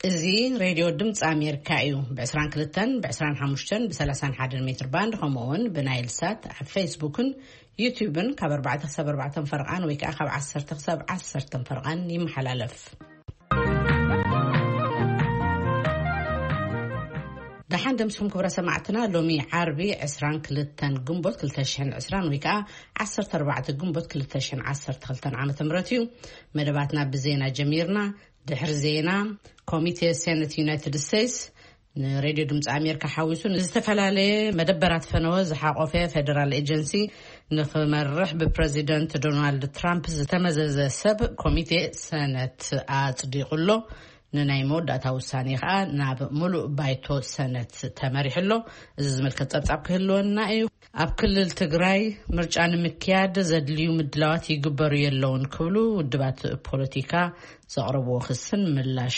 እዚ ሬድዮ ድምፂ ኣሜሪካ እዩ። ብ22፣ ብ25፣ ብ31 ሜትር ባንድ፣ ከምኡ እውን ብናይል ሳት ኣብ ፌስቡክን ዩቲዩብን ካብ ኣርባዕተ ክሳብ ኣርባዕተ ፈርቓን ወይ ከዓ ካብ ዓሰርተ ክሳብ ዓሰርተ ፈርቓን ይመሓላለፍ። ደሓን ደምስኩም ክብረ ሰማዕትና። ሎሚ ዓርቢ ዕስራን ክልተን ግንቦት ክልተ ሽሕን ዕስራን ወይ ከዓ ዓሰርተ ኣርባዕተ ግንቦት ክልተ ሽሕን ዓሰርተ ክልተን ዓመተ ምህረት እዩ። መደባትና ብዜና ጀሚርና። ድሕሪ ዜና፣ ኮሚቴ ሴነት ዩናይትድ ስቴትስ ንሬድዮ ድምፂ ኣሜሪካ ሓዊሱ ንዝተፈላለየ መደበራት ፈነወ ዝሓቆፈ ፌደራል ኤጀንሲ ንክመርሕ ብፕሬዚደንት ዶናልድ ትራምፕ ዝተመዘዘ ሰብ ኮሚቴ ሰነት ኣጽዲቑ ኣሎ። ንናይ መወዳእታ ውሳኔ ከዓ ናብ ሙሉእ ባይቶ ሰነት ተመሪሑ ኣሎ። እዚ ዝምልከት ጸብጻብ ክህልወና እዩ። ኣብ ክልል ትግራይ ምርጫ ንምክያድ ዘድልዩ ምድላዋት ይግበሩ የለውን ክብሉ ውድባት ፖለቲካ ዘቕረብዎ ክስን ምላሽ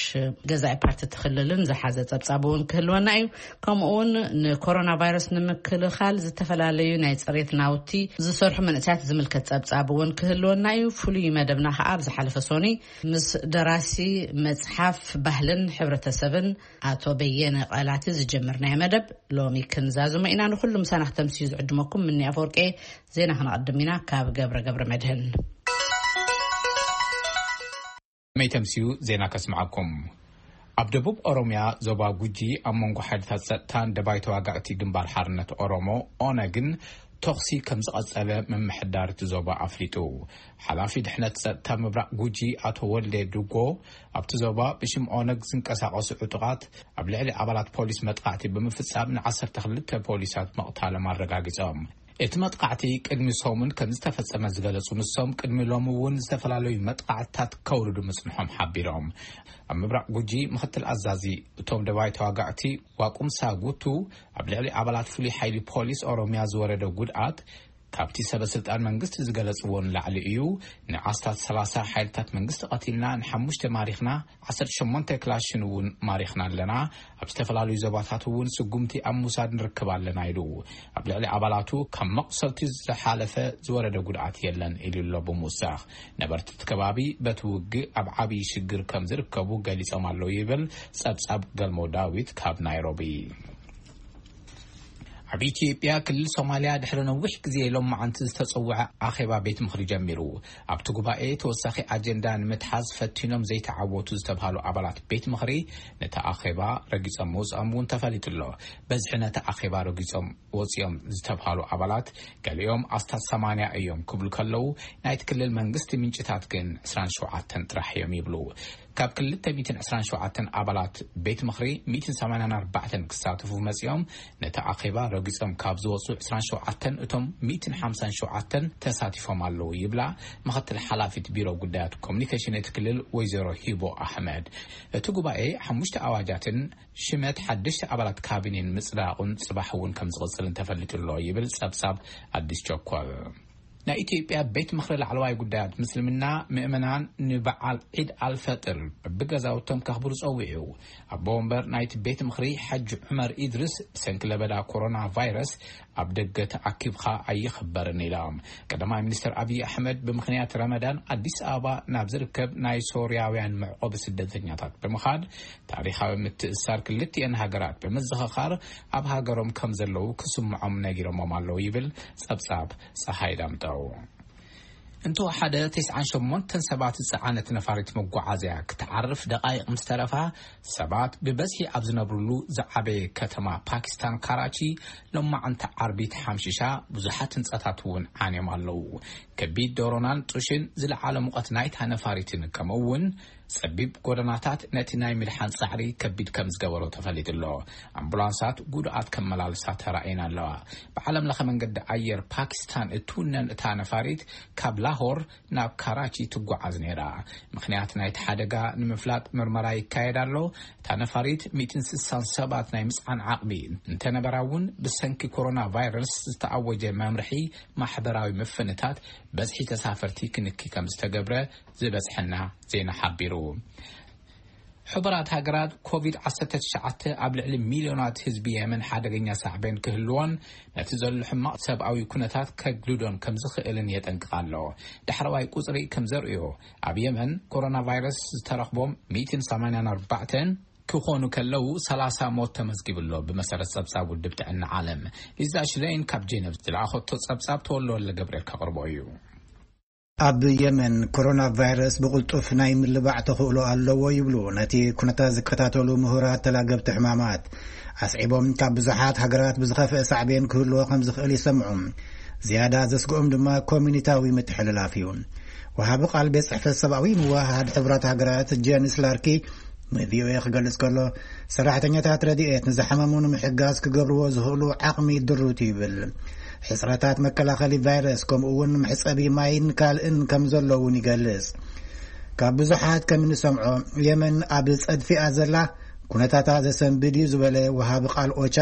ገዛኢ ፓርቲ እቲ ክልልን ዝሓዘ ጸብጻብ እውን ክህልወና እዩ። ከምኡ እውን ንኮሮና ቫይረስ ንምክልኻል ዝተፈላለዩ ናይ ጽሬት ናውቲ ዝሰርሑ መንእሰያት ዝምልከት ጸብጻብ እውን ክህልወና እዩ። ፍሉይ መደብና ከዓ ኣብ ዝሓለፈ ሶኒ ምስ ደራሲ መጽሓፍ ባህልን ሕብረተሰብን ኣቶ በየነ ቃላቲ ዝጀመርናዮ መደብ ሎሚ ክንዛዝሞ ኢና። ንኩሉ ምሳና ክተምስዩ ዝዕድመኩም ምኒ ኣፈወርቄ። ዜና ክነቐድም ኢና ካብ ገብረ ገብረ መድህን። መይተምስዩ ዜና ከስምዓኩም። ኣብ ደቡብ ኦሮምያ ዞባ ጉጂ ኣብ መንጎ ሓይልታት ጸጥታን ደባይ ተዋጋእቲ ግንባር ሓርነት ኦሮሞ ኦነግን ተኹሲ ከም ዝቐጸለ ምምሕዳር እቲ ዞባ ኣፍሊጡ። ሓላፊ ድሕነት ጸጥታ ምብራቕ ጉጂ ኣቶ ወልዴ ዱጎ ኣብቲ ዞባ ብሽም ኦነግ ዝንቀሳቐሱ ዕጡቓት ኣብ ልዕሊ ኣባላት ፖሊስ መጥቃዕቲ ብምፍጻም ን12 ፖሊሳት መቕታሎም ኣረጋጊጾም። እቲ መጥቃዕቲ ቅድሚ ሰሙን ከም ዝተፈጸመ ዝገለጹ ንሶም ቅድሚ ሎሚ እውን ዝተፈላለዩ መጥቃዕትታት ከውርዱ ምጽንሖም ሓቢሮም። ኣብ ምብራቕ ጉጂ ምኽትል ኣዛዚ እቶም ደባይ ተዋጋእቲ ዋቁምሳ ጉቱ ኣብ ልዕሊ ኣባላት ፍሉይ ሓይሊ ፖሊስ ኦሮምያ ዝወረደ ጉድኣት ካብቲ ሰበ ስልጣን መንግስቲ ዝገለጽዎ ንላዕሊ እዩ። ንኣስታት ሰላሳ ሓይልታት መንግስቲ ቀቲልና፣ ንሓሙሽተ ማሪኽና፣ ዓሰርተ ሸሞንተ ክላሽን እውን ማሪኽና ኣለና። ኣብ ዝተፈላለዩ ዞባታት እውን ስጉምቲ ኣብ ምውሳድ ንርከብ ኣለና ኢሉ። ኣብ ልዕሊ ኣባላቱ ካብ መቑሰልቲ ዝሓለፈ ዝወረደ ጉድኣት የለን ኢሉ ኣሎ ብምውሳኽ። ነበርቲ እቲ ከባቢ በቲ ውግእ ኣብ ዓብዪ ሽግር ከም ዝርከቡ ገሊጾም ኣለዉ ይብል ጸብጻብ ገልሞ ዳዊት ካብ ናይሮቢ። ኣብ ኢትዮጵያ ክልል ሶማልያ ድሕሪ ነዊሕ ግዜ ሎማዓንቲ ዝተጸውዐ ኣኼባ ቤት ምኽሪ ጀሚሩ። ኣብቲ ጉባኤ ተወሳኺ ኣጀንዳ ንምትሓዝ ፈቲኖም ዘይተዓወቱ ዝተብሃሉ ኣባላት ቤት ምኽሪ ነቲ ኣኼባ ረጊጾም ምውጽኦም እውን ተፈሊጡ ኣሎ። በዝሒ ነቲ ኣኼባ ረጊጾም ወጺኦም ዝተብሃሉ ኣባላት ገሊኦም ኣስታት ሰማንያ እዮም ክብሉ ከለዉ፣ ናይቲ ክልል መንግስቲ ምንጭታት ግን ዕስራን ሸውዓተን ጥራሕ እዮም ይብሉ። ካብ ክልተ ሚእትን ዕስራን ሸውዓተን ኣባላት ቤት ምኽሪ ሚእትን ሰማንያን ኣርባዕተን ክሳተፉ መጺኦም፣ ነቲ ኣኼባ ረጊጾም ካብ ዝወጹ ዕስራን ሸውዓተን እቶም ሚእትን ሓምሳን ሸውዓተን ተሳቲፎም ኣለዉ ይብላ ምኽትል ሓላፊት ቢሮ ጉዳያት ኮሙኒኬሽን እቲ ክልል ወይዘሮ ሂቦ ኣሕመድ። እቲ ጉባኤ ሓሙሽተ ኣዋጃትን ሽመት ሓደሽቲ ኣባላት ካቢኔን ምጽዳቑን ጽባሕ እውን ከም ዝቕጽልን ተፈሊጡ ኣሎ ይብል ጸብጻብ ኣዲስ ቸኮል። ናይ ኢትዮጵያ ቤት ምኽሪ ላዕለዋይ ጉዳያት ምስልምና ምእመናን ንበዓል ዒድ ኣልፈጥር ብገዛውቶም ከኽብሩ ጸዊዑ። ኣቦ ወንበር ናይቲ ቤት ምኽሪ ሓጂ ዑመር ኢድሪስ ብሰንኪ ለበዳ ኮሮና ቫይረስ ኣብ ደገ ተኣኪብካ ኣይኽበርን ኢሎም። ቀዳማይ ሚኒስትር ኣብይ ኣሕመድ ብምኽንያት ረመዳን ኣዲስ ኣበባ ናብ ዝርከብ ናይ ሶርያውያን መዕቆቢ ስደተኛታት ብምኻድ ታሪኻዊ ምትእስሳር ክልቲኤን ሃገራት ብምዝኽኻር ኣብ ሃገሮም ከም ዘለዉ ክስምዖም ነጊሮሞም ኣለዉ ይብል ጸብጻብ ጸሓይ ዳምጠው። እንተወሓደ ተስዓን ሸሞንተን ሰባት ዝጸዓነት ነፋሪት መጓዓዝያ ክትዓርፍ ደቓይቕ ምስ ተረፋ፣ ሰባት ብበዝሒ ኣብ ዝነብርሉ ዝዓበየ ከተማ ፓኪስታን ካራቺ ሎማዓንቲ ዓርቢ ተሓምሺሻ፣ ብዙሓት ህንጻታት እውን ዓንዮም ኣለዉ። ከቢድ ዶሮናን ጡሽን ዝለዓለ ሙቐት ናይታ ነፋሪትን ከምኡ እውን ጸቢብ ጎደናታት ነቲ ናይ ምድሓን ጻዕሪ ከቢድ ከም ዝገበሮ ተፈሊጡ ኣሎ። ኣምቡላንሳት ጉዱኣት ከመላልሳ ተራእየን ኣለዋ። ብዓለም ለኸ መንገዲ ኣየር ፓኪስታን እትውነን እታ ነፋሪት ካብ ላሆር ናብ ካራቺ ትጓዓዝ ነይራ። ምኽንያት ናይቲ ሓደጋ ንምፍላጥ ምርመራ ይካየድ ኣሎ። እታ ነፋሪት ሚእትን ስሳን ሰባት ናይ ምጽዓን ዓቕሚ እንተነበራ እውን ብሰንኪ ኮሮና ቫይረስ ዝተኣወጀ መምርሒ ማሕበራዊ ምፍንታት በዝሒ ተሳፈርቲ ክንኪ ከም ዝተገብረ ዝበጽሐና ዜና ሓቢሩ። ሕቡራት ሃገራት ኮቪድ ዓሰርተ ትሽዓተ ኣብ ልዕሊ ሚልዮናት ህዝቢ የመን ሓደገኛ ሳዕቤን ክህልዎን ነቲ ዘሎ ሕማቕ ሰብኣዊ ኩነታት ከግድዶን ከም ዝኽእልን የጠንቅቕ ኣሎ። ዳሕረዋይ ቁጽሪ ከም ዘርእዮ ኣብ የመን ኮሮና ቫይረስ ዝተረኽቦም ሚእትን ሰማንያን ኣርባዕተን ክኾኑ ከለዉ፣ ሰላሳ ሞት ተመዝጊቡ ኣሎ፣ ብመሰረት ጸብጻብ ውድብ ጥዕና ዓለም። ሊዛ ሽለይን ካብ ጄነቭ ዝለኣኸቶ ጸብጻብ ተወልደ ወልደ ገብርኤል ከቕርቦ እዩ። ኣብ የመን፣ ኮሮና ቫይረስ ብቕልጡፍ ናይ ምልባዕ ተኽእሎ ኣለዎ ይብሉ ነቲ ኩነታት ዝከታተሉ ምሁራት ተላገብቲ ሕማማት። ኣስዒቦም፣ ካብ ብዙሓት ሃገራት ብዝኸፍአ ሳዕቤን ክህልዎ ከም ዝኽእል ይሰምዑ። ዝያዳ ዘስግኦም ድማ ኮሚኒታዊ ምትሕልላፍ እዩ። ወሃቢ ቃል ቤት ጽሕፈት ሰብኣዊ ምውህሃድ ሕቡራት ሃገራት ጀንስ ላርኪ ንቪኦኤ ክገልጽ ከሎ፣ ሰራሕተኛታት ረድኤት ንዝሓመሙ ንምሕጋዝ ክገብርዎ ዝኽእሉ ዓቕሚ ድሩት እዩ ይብል። ሕጽረታት መከላኸሊ ቫይረስ፣ ከምኡ እውን መሕጸቢ ማይን ካልእን ከም ዘሎ እውን ይገልጽ። ካብ ብዙሓት ከም እንሰምዖ፣ የመን ኣብ ጸድፊኣ ዘላ ኩነታታ ዘሰንብድ እዩ ዝበለ ወሃቢ ቃል ኦቻ፣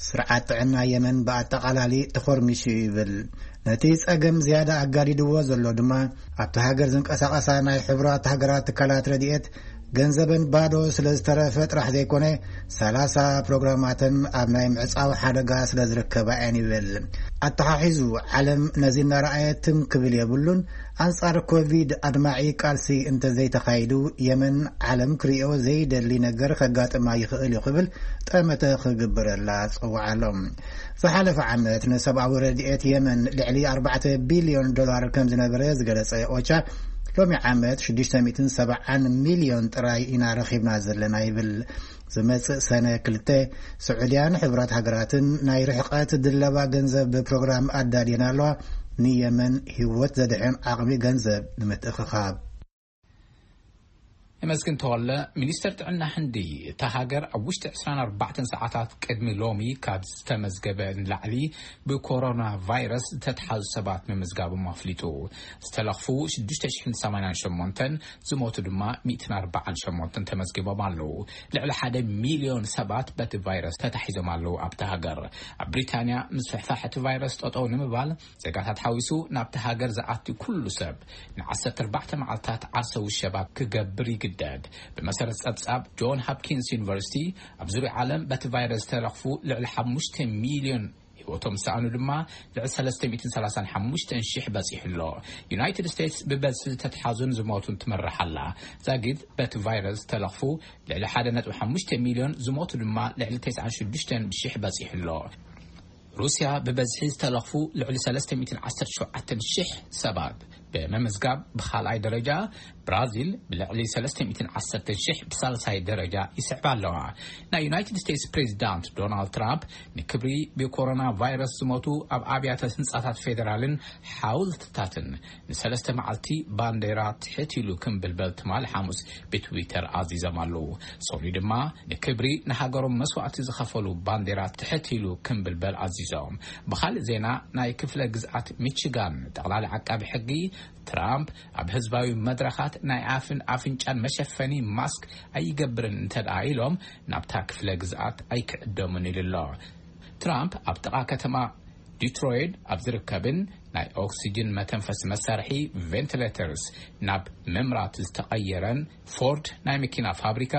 ስርዓት ጥዕና የመን ብኣጠቓላሊ ተኾርሚሹ እዩ ይብል። ነቲ ጸገም ዝያዳ ኣጋዲድዎ ዘሎ ድማ፣ ኣብቲ ሃገር ዝንቀሳቐሳ ናይ ሕቡራት ሃገራት ትካላት ረድኤት ገንዘበን ባዶ ስለ ዝተረፈ ጥራሕ ዘይኮነ፣ ሰላሳ ፕሮግራማተን ኣብ ናይ ምዕጻው ሓደጋ ስለ ዝርከባ እየን ይብል። ኣተሓሒዙ፣ ዓለም ነዚ እናረኣየ ትም ክብል የብሉን። ኣንጻር ኮቪድ ኣድማዒ ቃልሲ እንተዘይተኻይዱ፣ የመን ዓለም ክርእዮ ዘይደሊ ነገር ከጋጥማ ይኽእል እዩ ክብል ጠመተ ክግበረላ ጸውዓሎም። ዝሓለፈ ዓመት ንሰብኣዊ ረድኤት የመን ልዕሊ ኣርባዕተ ቢልዮን ዶላር ከም ዝነበረ ዝገለጸ ኦቻ፣ ሎሚ ዓመት ሽዱሽተ ሚእትን ሰብዓን ሚልዮን ጥራይ ኢና ረኺብና ዘለና ይብል። ዝመጽእ ሰነ ክልተ፣ ስዑድያን ሕቡራት ሃገራትን ናይ ርሕቀት ድለባ ገንዘብ ፕሮግራም ኣዳልየን ኣለዋ፣ ንየመን ህይወት ዘድሕን ዓቕሚ ገንዘብ ንምትእኽኻብ። የመስግን ተወለ፣ ሚኒስተር ጥዕና ህንዲ፣ እታ ሃገር ኣብ ውሽጢ ዕስራን ኣርባዕተን ሰዓታት ቅድሚ ሎሚ ካብ ዝተመዝገበ ንላዕሊ ብኮሮና ቫይረስ ዝተትሓዙ ሰባት ምምዝጋቦም ኣፍሊጡ። ዝተለኽፉ ሽዱሽተ ሽሕን ሰማንያን ሸሞንተን፣ ዝሞቱ ድማ ሚእትን ኣርባዓን ሸሞንተን ተመዝጊቦም ኣለዉ። ልዕሊ ሓደ ሚልዮን ሰባት በቲ ቫይረስ ተታሒዞም ኣለዉ ኣብታ ሃገር። ኣብ ብሪታንያ፣ ምስፍሕፋሕ እቲ ቫይረስ ጠጠው ንምባል፣ ዜጋታት ሓዊሱ ናብቲ ሃገር ዝኣቱ ኩሉ ሰብ ንዓሰርተ ኣርባዕተ መዓልታት ዓርሰ ውሸባ ክገብር ይግደድ። ብመሰረት ጸብጻብ ጆን ሃፕኪንስ ዩኒቨርሲቲ፣ ኣብ ዙርያ ዓለም በቲ ቫይረስ ዝተለኽፉ ልዕሊ ሓሙሽተ ሚልዮን ህይወቶም ዝሰኣኑ ድማ ልዕሊ ሰለስተ ሚእትን ሰላሳን ሓሙሽተን ሽሕ በጺሑ ኣሎ። ዩናይትድ ስቴትስ ብበዝሒ ዝተትሓዙን ዝሞቱን ትመርሕ ኣላ። ዛጊድ በቲ ቫይረስ ዝተለኽፉ ልዕሊ ሓደ ነጥቢ ሓሙሽተ ሚልዮን፣ ዝሞቱ ድማ ልዕሊ ተስዓን ሽዱሽተን ሽሕ በጺሑ ኣሎ። ሩስያ ብበዝሒ ዝተለኽፉ ልዕሊ ሰለስተ ሚእትን ዓሰርተ ሸውዓተን ሽሕ ሰባት ብምምዝጋብ ብኻልኣይ ደረጃ፣ ብራዚል ብልዕሊ ሰለስተ ሚእትን ዓሰርተን ሽሕ ብሳልሳይ ደረጃ ይስዕባ ኣለዋ። ናይ ዩናይትድ ስቴትስ ፕሬዚዳንት ዶናልድ ትራምፕ ንክብሪ ብኮሮና ቫይረስ ዝሞቱ ኣብ ኣብያተ ህንጻታት ፌደራልን ሓውልትታትን ንሰለስተ መዓልቲ ባንዴራ ትሕት ኢሉ ክምብልበል ትማሊ ሓሙስ ብትዊተር ኣዚዞም ኣለዉ። ሶኒ ድማ ንክብሪ ንሃገሮም መስዋእቲ ዝኸፈሉ ባንዴራ ትሕት ኢሉ ክምብልበል ኣዚዞም። ብኻልእ ዜና፣ ናይ ክፍለ ግዝኣት ሚቺጋን ጠቕላሊ ዓቃቢ ሕጊ፣ ትራምፕ ኣብ ህዝባዊ መድረኻት ናይ ኣፍን ኣፍንጫን መሸፈኒ ማስክ ኣይገብርን እንተ ደኣ ኢሎም፣ ናብታ ክፍለ ግዝኣት ኣይክዕደሙን ኢሉ ኣሎ። ትራምፕ ኣብ ጥቓ ከተማ ዲትሮይት ኣብ ዝርከብን ናይ ኦክሲጅን መተንፈሲ መሳርሒ፣ ቬንቲሌተርስ፣ ናብ መምራት ዝተቐየረን ፎርድ ናይ መኪና ፋብሪካ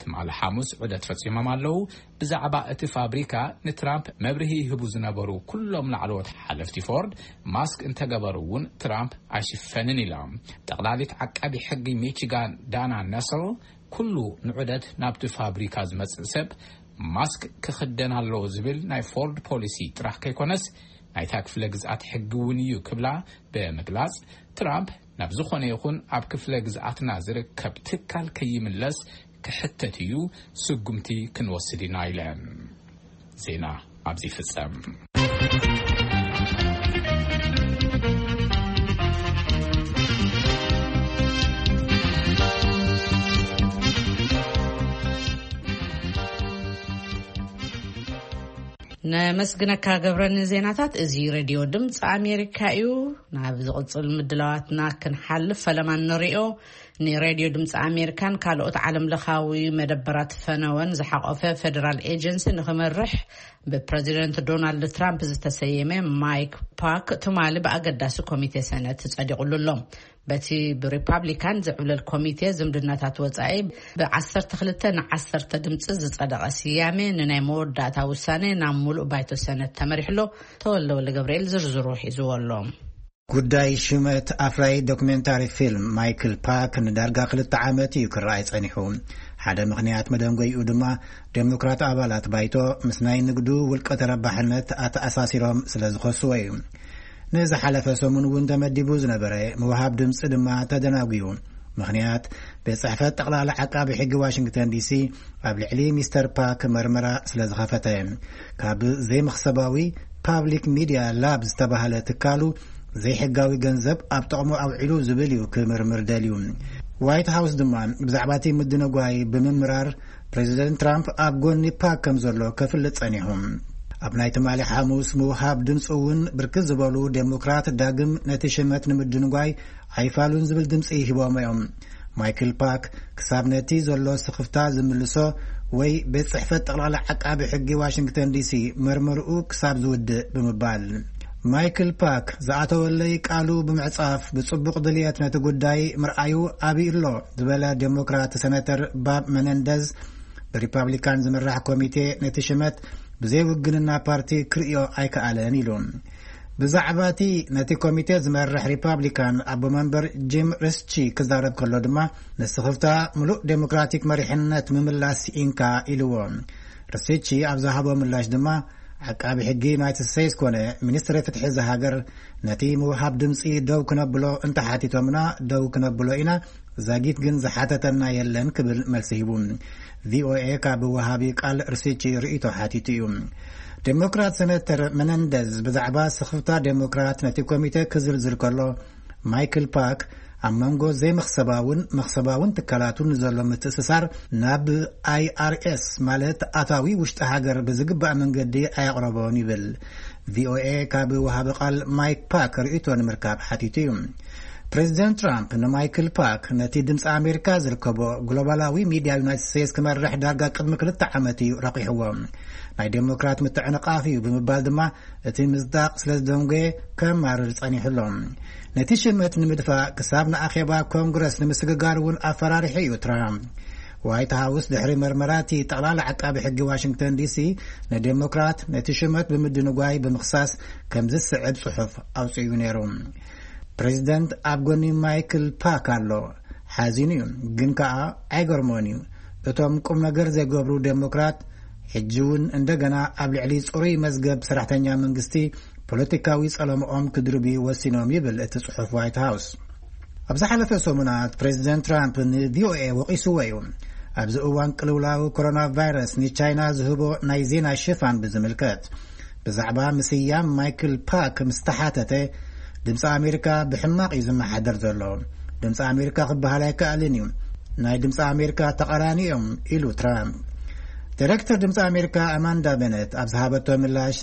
ትማሊ ሓሙስ ዑደት ፈጺሞም ኣለዉ። ብዛዕባ እቲ ፋብሪካ ንትራምፕ መብርሂ ይህቡ ዝነበሩ ኩሎም ላዕለዎት ሓለፍቲ ፎርድ፣ ማስክ እንተገበሩ እውን ትራምፕ ኣይሽፈንን ኢሎም። ጠቕላሊት ዓቃቢ ሕጊ ሚቺጋን ዳና ነስል፣ ኩሉ ንዑደት ናብቲ ፋብሪካ ዝመጽእ ሰብ ማስክ ክኽደን ኣለዎ ዝብል ናይ ፎርድ ፖሊሲ ጥራሕ ከይኮነስ፣ ናይታ ክፍለ ግዝኣት ሕጊ እውን እዩ ክብላ ብምግላጽ፣ ትራምፕ ናብ ዝኾነ ይኹን ኣብ ክፍለ ግዝኣትና ዝርከብ ትካል ከይምለስ ክሕተት እዩ፣ ስጉምቲ ክንወስድ ኢና ኢለን። ዜና ኣብዚ ይፍጸም። ነመስግነካ ገብረ ንዜናታት። እዚ ሬድዮ ድምፂ ኣሜሪካ እዩ። ናብ ዝቕፅል ምድላዋትና ክንሓልፍ፣ ፈለማ ንሪኦ። ንሬድዮ ድምፂ ኣሜሪካን ካልኦት ዓለም ለኻዊ መደበራት ፈነወን ዝሓቆፈ ፌደራል ኤጀንሲ ንክመርሕ ብፕረዚደንት ዶናልድ ትራምፕ ዝተሰየመ ማይክ ፓክ ትማሊ ብኣገዳሲ ኮሚቴ ሰነት ጸዲቑሉ ኣሎ። በቲ ብሪፓብሊካን ዝዕብለል ኮሚቴ ዝምድናታት ወጻኢ ብዓሰርተ ክልተ ንዓሰርተ ድምፂ ዝጸደቐ ስያሜ ንናይ መወዳእታ ውሳኔ ናብ ሙሉእ ባይቶ ሰነት ተመሪሑ ኣሎ። ተወልደ ወልደ ገብርኤል ዝርዝሩ ሒዝዎ ኣሎ። ጉዳይ ሽመት ኣፍራዪ ዶክሜንታሪ ፊልም ማይክል ፓክ ንዳርጋ ክልተ ዓመት እዩ ክረኣይ ጸኒሑ። ሓደ ምኽንያት መደንጎይኡ ድማ፣ ዴሞክራት ኣባላት ባይቶ ምስ ናይ ንግዱ ውልቀ ተረባሕነት ኣተኣሳሲሮም ስለ ዝኸስዎ እዩ። ንዝሓለፈ ሰሙን እውን ተመዲቡ ዝነበረ ምውሃብ ድምፂ ድማ ተደናጒዩ። ምኽንያት፣ ቤት ጽሕፈት ጠቕላላ ዓቃቢ ሕጊ ዋሽንግተን ዲሲ ኣብ ልዕሊ ሚስተር ፓክ መርመራ ስለ ዝኸፈተ። ካብ ዘይመኽሰባዊ ፓብሊክ ሚድያ ላብ ዝተባህለ ትካሉ ዘይሕጋዊ ገንዘብ ኣብ ጥቕሙ ኣውዒሉ ዝብል እዩ ክምርምር ደልዩ። ዋይት ሃውስ ድማ ብዛዕባ እቲ ምድንጓይ ብምምራር፣ ፕሬዚደንት ትራምፕ ኣብ ጎኒ ፓክ ከም ዘሎ ከፍልጥ ጸኒሑ። ኣብ ናይ ትማሊ ሓሙስ ምውሃብ ድምፂ እውን ብርክት ዝበሉ ዴሞክራት ዳግም ነቲ ሽመት ንምድንጓይ ኣይፋሉን ዝብል ድምፂ ሂቦም እዮም። ማይክል ፓክ ክሳብ ነቲ ዘሎ ስኽፍታ ዝምልሶ ወይ ቤት ጽሕፈት ጠቕላላ ዓቃቢ ሕጊ ዋሽንግተን ዲሲ መርመርኡ ክሳብ ዝውድእ ብምባል፣ ማይክል ፓክ ዝኣተወለይ ቃሉ ብምዕጻፍ ብጽቡቕ ድልየት ነቲ ጉዳይ ምርኣዩ ኣብዩ ኣሎ ዝበለ ዴሞክራት ሰነተር ባብ መነንደዝ፣ ብሪፓብሊካን ዝምራሕ ኮሚቴ ነቲ ሽመት ብዘይ ውግንና ፓርቲ ክርእዮ ኣይከኣለን ኢሉ። ብዛዕባ እቲ ነቲ ኮሚቴ ዝመርሕ ሪፓብሊካን ኣቦ መንበር ጂም ሪስቺ ክዛረብ ከሎ ድማ፣ ንስኽፍታ ምሉእ ዴሞክራቲክ መሪሕነት ምምላስ ኢንካ ኢልዎ። ሪስቺ ኣብ ዝሃቦ ምላሽ ድማ፣ ዓቃቢ ሕጊ ዩናይትድ ስቴትስ ኮነ ሚኒስትሪ ፍትሒ እዛ ሃገር ነቲ ምውሃብ ድምፂ ደው ክነብሎ እንተሓቲቶምና ደው ክነብሎ ኢና፣ ዛጊት ግን ዝሓተተና የለን ክብል መልሲ ሂቡ። ቪኦኤ ካብ ወሃቢ ቃል ሪስቺ ርእይቶ ሓቲቱ እዩ። ዴሞክራት ሰነተር መነንደዝ ብዛዕባ ስኽፍታ ዴሞክራት ነቲ ኮሚቴ ክዝርዝር ከሎ፣ ማይክል ፓክ ኣብ መንጎ ዘይመኽሰባውን መኽሰባውን ትካላቱን ዘሎ ምትእስሳር ናብ ኣይኣርኤስ፣ ማለት ኣታዊ ውሽጢ ሃገር፣ ብዝግባእ መንገዲ ኣየቕረቦን ይብል። ቪኦኤ ካብ ወሃቢ ቃል ማይክ ፓክ ርእይቶ ንምርካብ ሓቲቱ እዩ። ፕሬዚደንት ትራምፕ ንማይክል ፓክ ነቲ ድምፂ ኣሜሪካ ዝርከቦ ግሎባላዊ ሚድያ ዩናይትድ ስቴትስ ክመርሕ ዳርጋ ቅድሚ ክልተ ዓመት እዩ ረቂሕዎ። ናይ ዴሞክራት ምትዕንቓፍ እዩ ብምባል ድማ እቲ ምጽዳቕ ስለ ዝደንጎየ ከማርር ጸኒሑ ኣሎ። ነቲ ሽመት ንምድፋእ ክሳብ ንኣኼባ ኮንግረስ ንምስግጋር እውን ኣፈራሪሑ እዩ ትራምፕ። ዋይት ሃውስ ድሕሪ መርመራ እቲ ጠቕላላ ዓቃቢ ሕጊ ዋሽንግተን ዲሲ ንዴሞክራት ነቲ ሽመት ብምድንጓይ ብምኽሳስ ከም ዝስዕብ ጽሑፍ ኣውጺኡ ነይሩ። ፕሬዚደንት ኣብ ጎኒ ማይክል ፓክ ኣሎ። ሓዚኑ እዩ፣ ግን ከኣ ኣይገርሞን እዩ። እቶም ቁም ነገር ዘይገብሩ ዴሞክራት ሕጂ እውን እንደገና ኣብ ልዕሊ ጽሩይ መዝገብ ሰራሕተኛ መንግስቲ ፖለቲካዊ ጸለምኦም ክድርብዩ ወሲኖም ይብል እቲ ጽሑፍ ዋይት ሃውስ። ኣብ ዝሓለፈ ሰሙናት ፕሬዚደንት ትራምፕ ንቪኦኤ ወቒስዎ እዩ። ኣብዚ እዋን ቅልውላው ኮሮና ቫይረስ ንቻይና ዝህቦ ናይ ዜና ሽፋን ብዝምልከት፣ ብዛዕባ ምስያም ማይክል ፓክ ምስ ተሓተተ፣ ድምፂ ኣሜሪካ ብሕማቕ እዩ ዝመሓደር ዘሎ። ድምፂ ኣሜሪካ ክበሃል ኣይከኣልን እዩ። ናይ ድምፂ ኣሜሪካ ተቓራኒ እዮም ኢሉ ትራምፕ። ዳይሬክተር ድምፂ ኣሜሪካ ኣማንዳ በነት ኣብ ዝሃበቶ ምላሽ፣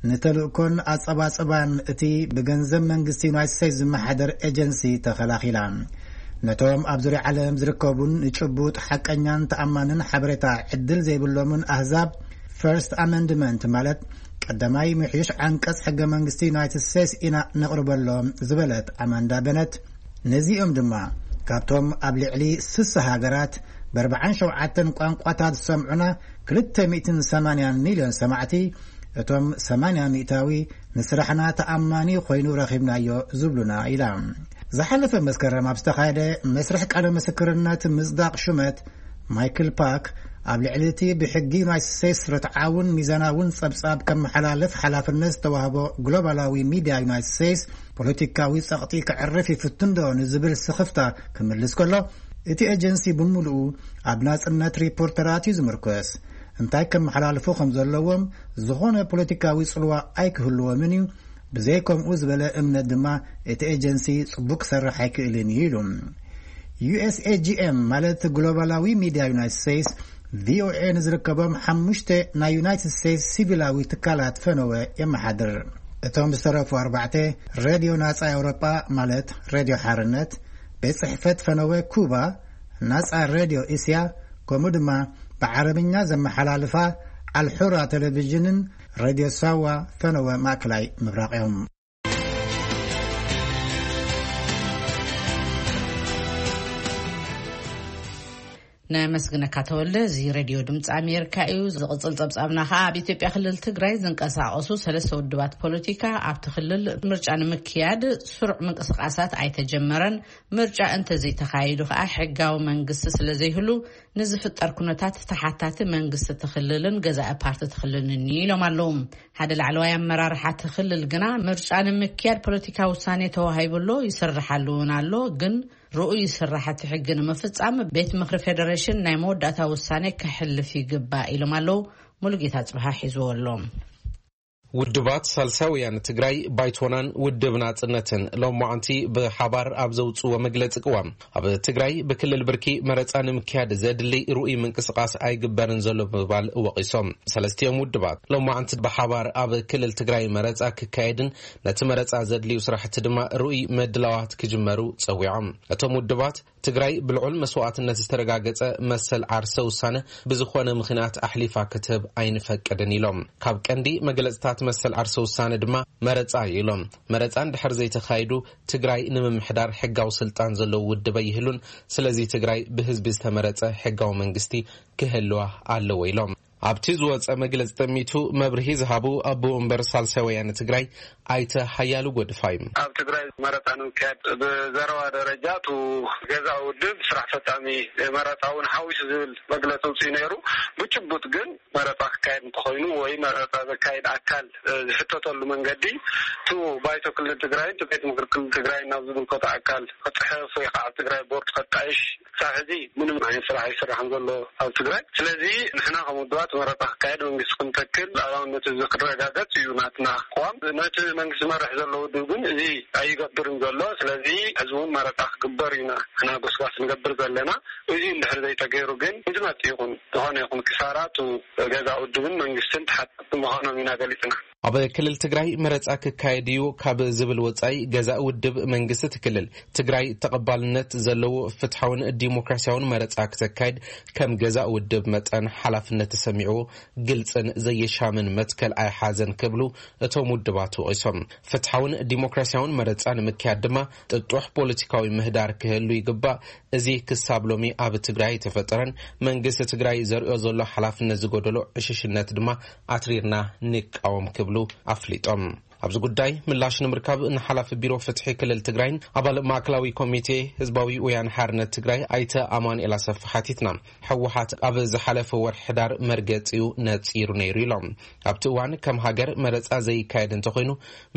ንተልእኮን ኣጸባጽባን እቲ ብገንዘብ መንግስቲ ዩናይትድ ስቴትስ ዝመሓደር ኤጀንሲ ተኸላኺላ። ነቶም ኣብ ዙርያ ዓለም ዝርከቡን ንጭቡጥ ሓቀኛን ተኣማንን ሓበሬታ ዕድል ዘይብሎምን ኣህዛብ ፈርስት ኣመንድመንት፣ ማለት ቀዳማይ ምሕዩሽ ዓንቀጽ ሕገ መንግስቲ ዩናይትድ ስቴትስ ኢና ነቕርበሎም ዝበለት ኣማንዳ በነት፣ ነዚኦም ድማ ካብቶም ኣብ ልዕሊ ስሳ ሃገራት ብ ኣርባዓን ሸውዓተን ቋንቋታት ዝሰምዑና ክልተ ሚእትን ሰማንያን ሚልዮን ሰማዕቲ፣ እቶም ሰማንያ ሚእታዊ ንስራሕና ተኣማኒ ኮይኑ ረኺብናዮ ዝብሉና ኢላ። ዝሓለፈ መስከረም ኣብ ዝተኻየደ መስርሕ ቃለ ምስክርነት ምጽዳቕ ሹመት፣ ማይክል ፓክ ኣብ ልዕሊ እቲ ብሕጊ ዩናይትድ ስቴትስ ርትዓውን ሚዛናውን ጸብጻብ ከመሓላልፍ ሓላፍነት ዝተዋህቦ ግሎባላዊ ሚድያ ዩናይትድ ስቴትስ፣ ፖለቲካዊ ጸቕጢ ከዕርፍ ይፍትን ዶ ንዝብል ስኽፍታ ክምልስ ከሎ፣ እቲ ኤጀንሲ ብምሉኡ ኣብ ናጽነት ሪፖርተራት እዩ ዝምርኮስ። እንታይ ከመሓላልፉ ከም ዘለዎም ዝኾነ ፖለቲካዊ ጽልዋ ኣይክህልዎምን እዩ። ብዘይ ከምኡ ዝበለ እምነት ድማ እቲ ኤጀንሲ ጽቡቕ ክሰርሕ ኣይክእልን እዩ ኢሉ። ዩ ኤስ ኤ ጂ ኤም፣ ማለት ግሎባላዊ ሚድያ ዩናይትድ ስቴትስ፣ ቪ ኦ ኤ ንዝርከቦም ሓሙሽተ ናይ ዩናይትድ ስቴትስ ሲቪላዊ ትካላት ፈነወ የመሓድር። እቶም ዝተረፉ ኣርባዕተ፣ ሬድዮ ናጻ ኤውሮጳ፣ ማለት ሬድዮ ሓርነት፣ ቤት ጽሕፈት ፈነወ ኩባ፣ ናጻ ሬድዮ እስያ፣ ከምኡ ድማ ብዓረብኛ ዘመሓላልፋ ኣልሑራ ቴሌቪዥንን ሬድዮ ሳዋ ፈነወ ማእከላይ ምብራቕ እዮም። ነመስግነካ ተወልደ። እዚ ሬድዮ ድምፂ ኣሜሪካ እዩ። ዝቕፅል ፀብፃብና ከዓ ኣብ ኢትዮጵያ ክልል ትግራይ ዝንቀሳቐሱ ሰለስተ ውድባት ፖለቲካ ኣብቲ ክልል ምርጫ ንምክያድ ስሩዕ ምንቅስቃሳት ኣይተጀመረን። ምርጫ እንተዘይተኻይዱ ከዓ ሕጋዊ መንግስቲ ስለዘይህሉ ንዝፍጠር ኩነታት ተሓታቲ መንግስቲ እቲ ክልልን ገዛኢ ፓርቲ እቲ ክልልን እዩ ኢሎም ኣለዉ። ሓደ ላዕለዋይ ኣመራርሓ እቲ ክልል ግና ምርጫ ንምክያድ ፖለቲካዊ ውሳኔ ተዋሂቡ ኣሎ፣ ይስርሓሉ እውን ኣሎ፣ ግን ርኡይ ስራሕቲ ሕጊ ንምፍጻም ቤት ምኽሪ ፌደሬሽን ናይ መወዳእታ ውሳኔ ከሕልፍ ይግባእ ኢሎም ኣለዉ። ሙሉጌታ ጽብሃ ሒዝዎ ኣሎ። ውድባት ሳልሳይ ወያነ ትግራይ፣ ባይቶናን ውድብ ናጽነትን ሎማዓንቲ ብሓባር ኣብ ዘውጽዎ መግለጺ ቅዋም፣ ኣብ ትግራይ ብክልል ብርኪ መረጻ ንምክያድ ዘድሊ ርኡይ ምንቅስቃስ ኣይግበርን ዘሎ ብምባል ወቒሶም። ሰለስቲኦም ውድባት ሎማዓንቲ ብሓባር ኣብ ክልል ትግራይ መረጻ ክካየድን ነቲ መረጻ ዘድልዩ ስራሕቲ ድማ ርኡይ ምድላዋት ክጅመሩ ጸዊዖም። እቶም ውድባት ትግራይ ብልዑል መስዋዕትነት ዝተረጋገጸ መሰል ዓርሰ ውሳነ ብዝኾነ ምኽንያት ኣሕሊፋ ክትህብ ኣይንፈቅድን ኢሎም። ካብ ቀንዲ መግለጽታት መሰል ዓርሰ ውሳነ ድማ መረጻ እዩ ኢሎም። መረጻ እንድሕር ዘይተኻይዱ ትግራይ ንምምሕዳር ሕጋዊ ስልጣን ዘለዎ ውድብ ኣይህሉን። ስለዚ ትግራይ ብህዝቢ ዝተመረጸ ሕጋዊ መንግስቲ ክህልዋ ኣለዎ ኢሎም። ኣብቲ ዝወጸ መግለጺ ጠሚቱ መብርሂ ዝሃቡ ኣቦ ወንበር ሳልሳይ ወያነ ትግራይ ኣይተ ሓያሉ ጎድፋይ፣ ኣብ ትግራይ መረፃ ንምክያድ ብዘረባ ደረጃ እቲ ገዛኢ ውድብ ስራሕ ፈፃሚ መረፃ እውን ሓዊሱ ዝብል መግለፂ ኣውፂኡ ነይሩ። ብጭቡጥ ግን መረፃ ክካየድ እንተኮይኑ ወይ መረፃ ዘካየድ ኣካል ዝሕተተሉ መንገዲ እቲ ባይቶ ክልል ትግራይን እቲ ቤት ምክሪ ክልል ትግራይን ናብ ዝምልከቶ ኣካል ክፅሕፍ ወይ ከዓ ኣብ ትግራይ ቦርድ ከጣይሽ ክሳብ ሕዚ ምንም ዓይነት ስራሕ ኣይስራሕን ዘሎ ኣብ ትግራይ። ስለዚ ንሕና ከም ውድባት መረፃ ክካየድ መንግስቲ ክንተክል ሉዓላውነት ህዝቢ ክረጋገፅ እዩ ናትና ኣቋም። ነቲ መንግስቲ ዝመርሕ ዘሎ ውድብ ግን እዚ ኣይገብርን ዘሎ። ስለዚ ሕዚ እውን መረፃ ክግበር ኢና ንሕና ጎስጓስ ንገብር ዘለና። እዚ እንድሕር ዘይተገይሩ ግን ንዝመፅእ ይኹን ዝኾነ ይኹን ክሳራ እቲ ገዛኢ ውድብን መንግስትን ተሓተትቲ ምዃኖም ኢና ገሊፅና። ኣብ ክልል ትግራይ መረፃ ክካየድ እዩ ካብ ዝብል ወፃኢ ገዛኢ ውድብ መንግስቲ እቲ ክልል ትግራይ ተቐባልነት ዘለዎ ፍትሓውን ዲሞክራሲያውን መረፃ ክተካይድ ከም ገዛኢ ውድብ መጠን ሓላፍነት ተሰሚዕዎ ግልፅን ዘየሻምን መትከል ኣይሓዘን ክብሉ እቶም ውድባት ወቒሶም። ፍትሓውን ዲሞክራሲያውን መረፃ ንምክያድ ድማ ጥጡሕ ፖለቲካዊ ምህዳር ክህሉ ይግባእ። እዚ ክሳብ ሎሚ ኣብ ትግራይ ኣይተፈጠረን። መንግስቲ ትግራይ ዘርእዮ ዘሎ ሓላፍነት ዝጎደሎ ዕሽሽነት ድማ ኣትሪርና ንቃወም ክብሉ ኣፍሊጦም። ኣብዚ ጉዳይ ምላሽ ንምርካብ ንሓላፊ ቢሮ ፍትሒ ክልል ትግራይን ኣባል ማእከላዊ ኮሚቴ ህዝባዊ ወያነ ሓርነት ትግራይ ኣይተ ኣማኑኤል ኣሰፋ ሓቲትና። ህወሓት ኣብ ዝሓለፈ ወርሒ ሕዳር መርገፂኡ ነፂሩ ነይሩ ኢሎም። ኣብቲ እዋን ከም ሃገር መረፃ ዘይካየድ እንተኮይኑ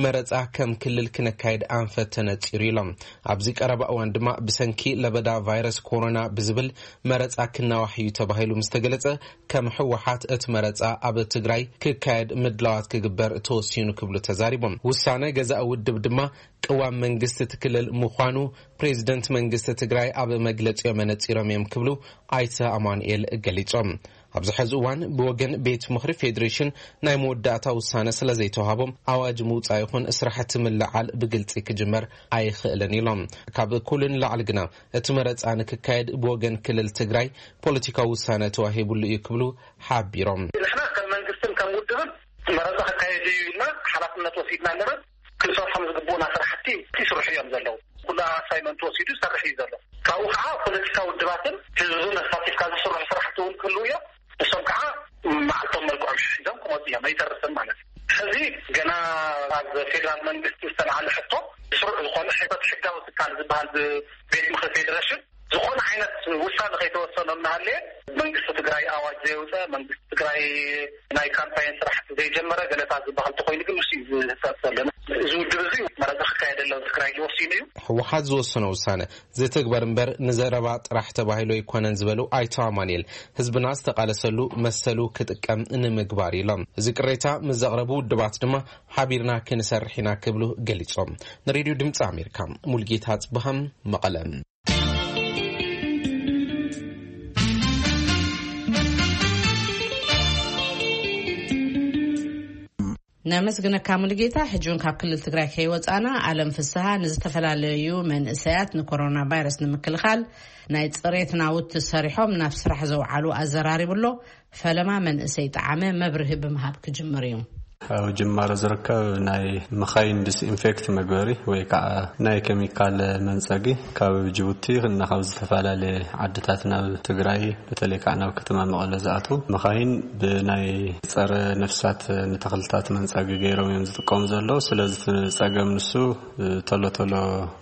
መረፃ ከም ክልል ክነካየድ ኣንፈት ተነፂሩ ኢሎም። ኣብዚ ቀረባ እዋን ድማ ብሰንኪ ለበዳ ቫይረስ ኮሮና ብዝብል መረፃ ክናዋሕ እዩ ተባሂሉ ምስ ተገለፀ፣ ከም ህወሓት እቲ መረፃ ኣብ ትግራይ ክካየድ ምድላዋት ክግበር ተወሲኑ ክብሉ ተዛሪቦም። ውሳነ ገዛኢ ውድብ ድማ ቅዋም መንግስቲ እቲ ክልል ምዃኑ ፕሬዚደንት መንግስቲ ትግራይ ኣብ መግለፂኦም ኣነፂሮም እዮም ክብሉ ኣይተ ኣማኑኤል ገሊፆም። ኣብዚ ሕዚ እዋን ብወገን ቤት ምኽሪ ፌዴሬሽን ናይ መወዳእታ ውሳነ ስለ ዘይተዋሃቦም ኣዋጅ ምውፃእ ይኹን ስራሕቲ ምልዓል ብግልፂ ክጅመር ኣይኽእልን ኢሎም። ካብ ኩሉ ንላዕሊ ግና እቲ መረፃ ንክካየድ ብወገን ክልል ትግራይ ፖለቲካዊ ውሳነ ተዋሂቡሉ እዩ ክብሉ ሓቢሮም። ንሕና ከም መንግስትን ከም ውድብን መረፃ ክካየድ እዩ ኢልና ሓላፍነት ወሲድና ኣለና። ክንሰርሖም ዝግቡኡና ስራሕቲ ይስርሑ እዮም ዘለዉ። ኩሉ ኣሳይመንት ወሲዱ ይሰርሕ እዩ ዘሎ። ካብኡ ከዓ ፖለቲካ ውድባትን ህዝብን ኣሳቲፍካ ዝስርሑ ስራሕቲ እውን ክህልዉ እዮም። ንሶም ከዓ መዓልቶም መልክዖም ሒዞም ክመፁ እዮም፣ ኣይተርፍን ማለት እዩ። ሕዚ ገና ኣብ ፌዴራል መንግስቲ ዝተለዓለ ሕቶ ስሩዕ ዝኾነ ሕቶት ሕጋዊ ትካል ዝበሃል ቤት ምኽሪ ፌዴሬሽን ዝኾነ ዓይነት ውሳነ ከይተወሰኖ እናሃለየ መንግስቲ ትግራይ ኣዋጅ ዘየውፀ፣ መንግስቲ ትግራይ ናይ ካምፓይን ስራሕቲ ዘይጀመረ ገለታት ዝበሃል ተኮይኑ ግን ንሱ እዩ ዝህሰብ ዘሎ። እዚ ውድብ እዚ መረፃ ክካየደሎም ትግራይ ዝወሲኑ እዩ። ህወሓት ዝወሰኖ ውሳነ ዝትግበር እምበር ንዘረባ ጥራሕ ተባሂሉ ኣይኮነን ዝበሉ ኣይተ ኣማኑኤል፣ ህዝብና ዝተቃለሰሉ መሰሉ ክጥቀም ንምግባር ኢሎም። እዚ ቅሬታ ምስ ዘቕረቡ ውድባት ድማ ሓቢርና ክንሰርሕ ኢና ክብሉ ገሊጾም። ንሬድዮ ድምፂ ኣሜሪካ ሙልጌታ ጽብሃም መቐለ። ነመስግነካ ሙሉጌታ። ሕጂ እውን ካብ ክልል ትግራይ ከይወፃና፣ ኣለም ፍስሃ ንዝተፈላለዩ መንእሰያት ንኮሮና ቫይረስ ንምክልኻል ናይ ፅሬት ናውቲ ሰሪሖም ናብ ስራሕ ዘውዓሉ ኣዘራሪቡ ኣሎ። ፈለማ መንእሰይ ጠዓመ መብርሂ ብምሃብ ክጅምር እዩ። ኣብ ጅማሮ ዝርከብ ናይ መኻይን ዲስኢንፌክት መግበሪ ወይ ከዓ ናይ ኬሚካል መንፀጊ ካብ ጅቡቲ እና ካብ ዝተፈላለየ ዓድታት ናብ ትግራይ፣ በተለይ ከዓ ናብ ከተማ መቐለ ዝኣትዉ መኻይን ብናይ ፀረ ነፍሳት ንተኽልታት መንፀጊ ገይሮም እዮም ዝጥቀሙ ዘለዉ። ስለዚ እቲ ፀገም ንሱ ቶሎ ቶሎ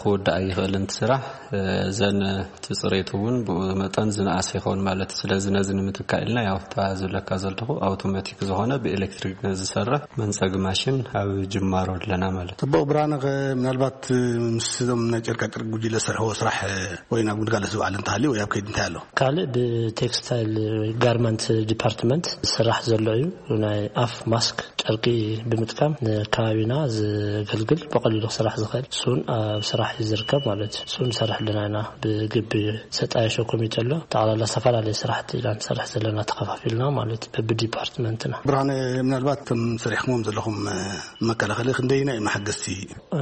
ክውዳእ ኣይኽእልን እቲ ስራሕ። እዘን እቲ ፅሬቱ እውን ብኡ መጠን ዝነኣሰ ይኸውን ማለት እዩ። ስለዚ ነዚ ንምትካእ ኢልና ያው እታ ዝብለካ ዘለኹ ኣውቶማቲክ ዝኾነ ብኤሌክትሪክ ዝሰርሕ መንፀጊ ማሽን ኣብ ጅማሮ ኣለና ማለት እዩ። ጽቡቕ ብርሃነ፣ ከ ምናልባት ምስ እዞም ናይ ጨርቃ ጨርቂ ጉጅለ ዝሰርሕዎ ስራሕ ወይ ናብ ግልጋሎት ዝውዓል እንተሃልዩ ወይ ኣብ ከይዲ እንታይ ኣሎ? ካልእ ብቴክስታይል ወይ ጋርመንት ዲፓርትመንት ዝስራሕ ዘሎ እዩ። ናይ ኣፍ ማስክ ጨርቂ ብምጥቃም ንከባቢና ዘገልግል ብቐሊሉ ክስራሕ ዝኽእል እሱን ኣብ ስራሕ እዩ ዝርከብ ማለት እዩ። እሱን ንሰርሕ ኣለና ኢና። ብግቢ ዘጣየሾ ኮሚቴ ኣሎ። ጠቕላላ ዝተፈላለየ ስራሕቲ ኢና ንሰርሕ ዘለና ተኸፋፊልና ማለት እዩ። በብዲፓርትመንትና። ብርሃነ፣ ምናልባት እቶም ሰሪሕኩሞም ዘለኹም መከላኸሊ ክንደይና እዩ መሓገዝቲ? እ፣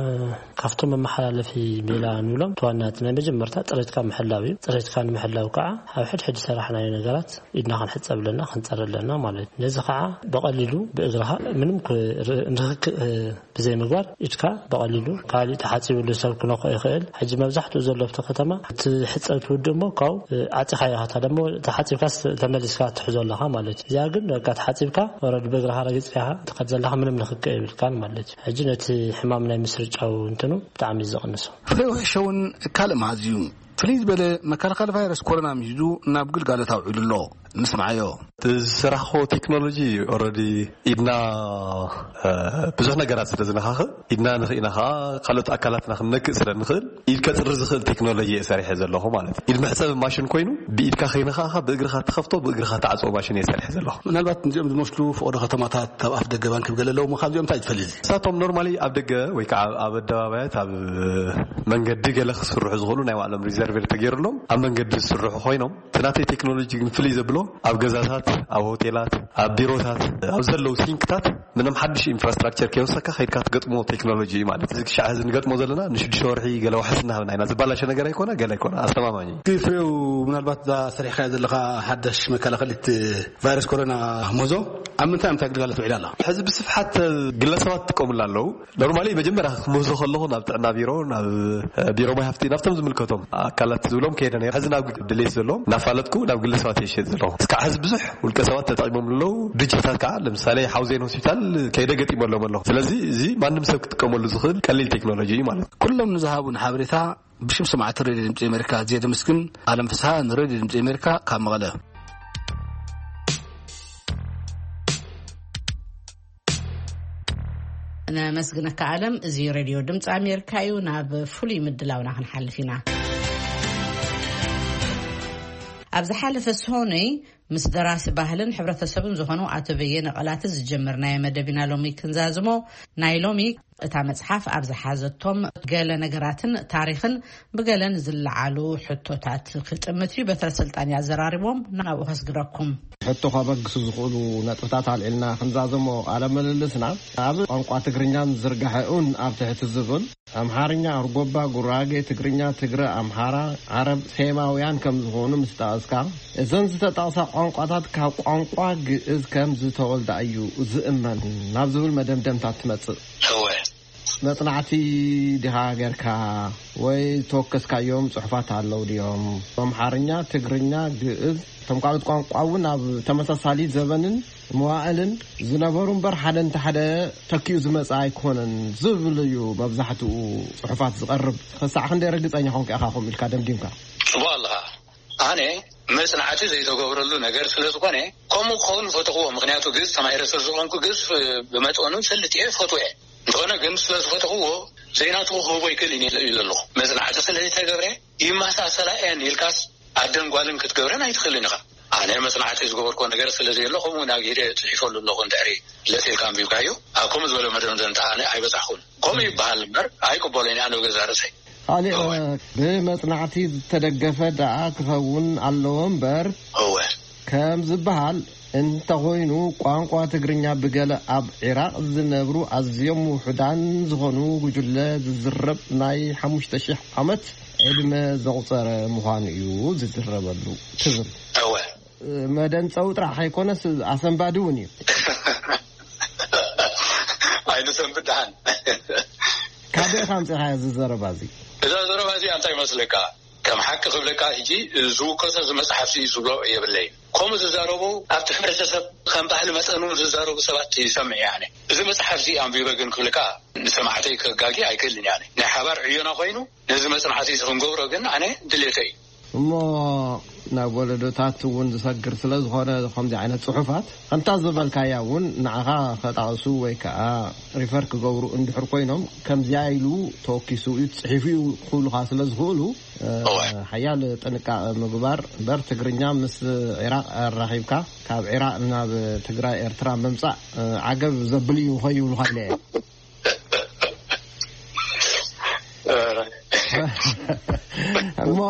ካብቶም መመሓላለፊ ሜላ ንብሎም እቲ ዋና እቲ ናይ መጀመርታ ፅሬትካ ምሕላው እዩ። ፅሬትካ ንምሕላው ከዓ ኣብ ሕድሕድ ዝሰራሕናዮ ነገራት ኢድና ክንሕፀብ ኣለና፣ ክንፀሪ ኣለና ማለት እዩ። ነዚ ከዓ ብቐሊሉ ብእግርኻ ምንም ክ-፣ ር-፣ ንክክ-፣ እ፣ ብዘይ ምግባር ኢድካ ብቐሊሉ ካልእ ተሓፂብሉ ሰብ ክነኽኦ ይኽእል። ሕጂ መብዛሕትኡ ዘሎ ኣብቲ ከተማ እቲ ሕፀብ ትውድእ እሞ ካብኡ፣ እ፣ ዓፂኻዮ ኢኻ ደሞ ተሓፂብካ ስ-፣ ተመሊስካ ትሕዞ ኣለኻ ማለት እዩ። እዚኣ ግን በቃ ተሓፂብካ ወረድ ብእግርኻ ረጊፅካ ኢኻ ትኸድ ዘለኻ ምንም ንክክ የብልካን ማለት እዩ። ሕጂ ነቲ ሕማም ናይ ምስርጫው እንትኑ ብጣዕሚ እዩ ዘቕንሶ። ፍሬው ሕሸውን ካልእ መሃዝ እዩ። ፍልይ ዝበለ መከላኸሊ ቫይረስ ኮሮና ምሂዙ ናብ ግልጋሎት ኣውዒሉ ኣሎ። ንስምዓዮ። እቲ ዝሰራሕኮ ቴክኖሎጂ ኦልሬዲ ኢድና፣ እ፣ ብዙሕ ነገራት ስለ ዝነኻኽእ፣ ኢድና ንኽኢና ኸዓ ካልኦት ኣካላትና ክንነክእ ስለ ንኽእል፣ ኢድ ከጽሪ ዝኽእል ቴክኖሎጂ እየ ሰሪሐ ዘለኹ ማለት እዩ። ኢድ መሕጸቢ ማሽን ኮይኑ፣ ብኢድካ ከይነኻእኻ ብእግርኻ ትኸፍቶ፣ ብእግርኻ ትዓጽዎ ማሽን እየ ሰሪሐ ዘለኹ። ምናልባት እዚኦም ዝመስሉ ፈቐዶ ከተማታት፣ ኣብ ኣፍ ደገ ባንክ ገለ ኣለዉ ምዃን እዚኦም እንታይ ትፈልጥ? ንሳቶም ኖርማሊ ኣብ ደገ ወይ ከዓ ኣብ ኣደባባያት፣ ኣብ መንገዲ ገለ ክስርሑ ዝኽእሉ ናይ ባዕሎም ሪዘርቬር ተገይሩሎም ኣብ መንገዲ ዝስርሑ ኮይኖም፣ እቲ ናተይ ቴክኖሎጂ ግን ፍልይ ዘብሎ ኣብ ገዛታት፣ ኣብ ሆቴላት፣ ኣብ ቢሮታት፣ ኣብ ዘለዉ ሲንክታት ምንም ሓድሽ ኢንፍራስትራክቸር ከይወሰካ ከይድካ ትገጥሞ ቴክኖሎጂ እዩ ማለት። እዚ ክሻዕ እዚ ንገጥሞ ዘለና ንሽዱሽተ ወርሒ ገለ ዋሕስ እናሃብና ኢና። ዝባላሸ ነገር ኣይኮነ፣ ገለ ኣይኮነ፣ ኣስተማማኝ እዩ። እቲ ፍሬው፣ ምናልባት እዛ ሰሪሕካያ ዘለኻ ሓዳሽ መከላኸሊት ቫይረስ ኮሮና ሞዞ ኣብ ምንታይ ምንታይ ግልጋሎት ውዒላ ኣላ? ሕዚ ብስፍሓት ግለሰባት ይጥቀሙላ ኣለዉ። ኖርማሊ መጀመርያ ክምህዞ ከለኹ ናብ ጥዕና ቢሮ፣ ናብ፣ እ፣ ቢሮ ማይ ሃፍቲ፣ ናብቶም ዝምልከቶም ኣካላት ዝብሎም ከይደ ነይረ። ሕዚ ናብ ድሌት ዘለዎም እናፋለጥኩ ናብ ግለሰባት እየ ዝሸጥ ዘለኹ። እስካዕ ሕዚ ብዙሕ ውልቀ ሰባት ተጠቒሞም ኣለዉ። ድርጅታት ከዓ ለምሳሌ ሓውዜን ሆስፒታል ከይደ ገጢመሎም ኣለኹ። ስለዚ እዚ ማንም ሰብ ክጥቀመሉ ዝኽእል ቀሊል ቴክኖሎጂ እዩ ማለት እዩ። ኩሎም ንዝሃቡን ሓበሬታ ብሽም ሰማዕቲ ሬድዮ ድምፂ ኣሜሪካ ኣዝየ ደመስግን። ኣለም ፍስሃ ንሬድዮ ድምፂ ኣሜሪካ ካብ መቐለ። ነመስግነካ ኣለም። እዚ ሬድዮ ድምፂ ኣሜሪካ እዩ። ናብ ፍሉይ ምድላውና ክንሓልፍ ኢና። ኣብ ዝሓለፈ ሰሆነይ ምስ ደራሲ ባህልን ሕብረተሰብን ዝኾኑ ኣቶ በየነ ቀላቲ ዝጀመርናዮ መደብ ኢና ሎሚ ክንዛዝሞ። ናይ ሎሚ እታ መጽሓፍ ኣብ ዝሓዘቶም ገለ ነገራትን ታሪኽን ብገለን ዝለዓሉ ሕቶታት ክጥምት እዩ። በትረ ስልጣን እዩ ኣዘራሪቦም። ናብኡ ከስግረኩም። ሕቶ ከበግሱ ዝኽእሉ ነጥብታት ኣልዒልና ክንዛዘሞ ቃለ ምልልስና፣ ኣብ ቋንቋ ትግርኛን ዝርጋሐኡን ኣብ ትሕቲ ዝብል፣ ኣምሓርኛ፣ ኣርጎባ፣ ጉራጌ፣ ትግርኛ፣ ትግረ፣ ኣምሓራ፣ ዓረብ፣ ሴማውያን ከም ዝኾኑ ምስ ጠቐስካ፣ እዘን ዝተጠቕሳ ቋንቋታት ካብ ቋንቋ ግእዝ ከም ዝተወልዳ እዩ ዝእመን ናብ ዝብል መደምደምታ ትመጽእ። እወ። መጽናዕቲ ዲኻ ጌርካ ወይ ዝተወከስካዮም ጽሑፋት ኣለዉ ድዮም? ኣምሓርኛ፣ ትግርኛ፣ ግእዝ፣ እቶም ካልኦት ቋንቋ እውን ኣብ ተመሳሳሊ ዘበንን መዋእልን ዝነበሩ እምበር፣ ሓደ እንተ ሓደ ተኪኡ ዝመጽእ ኣይኮነን ዝብል እዩ መብዛሕትኡ ጽሑፋት ዝቐርብ። ክሳዕ ክንደይ ርግጸኛ ኮንካ ኢኻ ከምኡ ኢልካ ደምዲምካ? ጽቡቕ ኣለኻ። ኣነ መጽናዕቲ ዘይተገብረሉ ነገር ስለ ዝኾነ፣ ከምኡ ክኸውን ፈተኽዎ። ምኽንያቱ ግእዝ ተማሂረ ስለ ዝኾንኩ፣ ግእዝ ብመጠኑ ፈልጥ እየ፣ ፈትዎ እየ። እንተኾነ ግን ስለ ዝፈተኽዎ፣ ዘይናትኹ ክህቦ ይክእል እየ ኢለ ኣለኹ። መጽናዕቲ ስለ ዘይተገብረ፣ ይመሳሰላ እየን ኢልካስ ኣደን ጓልን ክትገብረን ኣይትኽእልን ኢኻ። ኣነ መጽናዕቲ ዝገበርኮ ነገር ስለ ዘየሎ፣ ከምኡ ናብ ኢደ ጽሒፈሉ ኣለኹ። እንድሕሪ ለጢፍካ ኣንቢብካዮ፣ ኣብ ከምኡ ዝበለ መደምደምታ ኣነ ኣይበጻሕኩን። ከምኡ ይበሃል እምበር፣ ኣይቅበሎን እየ ኣነ ብገዛእ ርእሰይ። ካልእ፣ እወ። ብመጽናዕቲ ዝተደገፈ ደኣ ክኸውን ኣለዎ እምበር፣ እወ። ከም ዝበሃል እንተኾይኑ፣ ቋንቋ ትግርኛ ብገለ ኣብ ዒራቕ ዝነብሩ ኣዝዮም ውሑዳን ዝኾኑ ጉጅለ ዝዝረብ ናይ ሓሙሽተ ሺሕ ዓመት ዕድመ ዘቑጸረ ምዃኑ እዩ ዝዝረበሉ ትብል። እወ። መደንጸዊ ጥራሕ ኣይኮነስ፣ ኣሰንባዲ እውን እዩ። ኣይንሰንብድ ደሓን። ካበይ ኢኻ ኣምጺኻዮ እዚ ዘረባ እዚ? እዛ ዘረባ እዚኣ እንታይ ይመስለካ? ከም ሓቂ ክብለካ፣ ሕጂ ዝውከሶ እዚ መጽሓፍ እዚ ዝብሎ የብለይን። ከምኡ ዝዛረቡ፣ ኣብቲ ሕብረተሰብ ከም ባህሊ መጠኑ ዝዛረቡ ሰባት ይሰምዕ እየ ኣነ። እዚ መጽሓፍ እዚ ኣንቢበ ግን ክብለካ፣ ንሰማዕተይ ከጋጊ ኣይክእልን እየ ኣነ። ናይ ሓባር ዕዮና ኮይኑ፣ ነዚ መጽናዕቲ እዚ ክንገብሮ ግን ኣነ ድሌተይ እዩ። እሞ ናብ ወለዶታት እውን ዝሰግር ስለ ዝኾነ፣ ከምዚ ዓይነት ጽሑፋት ከምታ ዝበልካያ እውን ንዓኻ ከጣቕሱ ወይ ከዓ ሪፈር ክገብሩ እንድሕር ኮይኖም፣ ከምዚኣ ኢሉ ተወኪሱ እዩ፣ ጽሒፉ እዩ ክብሉኻ ስለ ዝኽእሉ፣ እ፣ እወ። ሓያል ጥንቃቐ ምግባር እምበር፣ ትግርኛ ምስ ዒራቕ ኣራኺብካ ካብ ዒራቕ ናብ ትግራይ ኤርትራ ምምጻእ፣ እ፣ ዓገብ ዘብል እዩ ከይብሉኻ ኢለ እየ። እሞ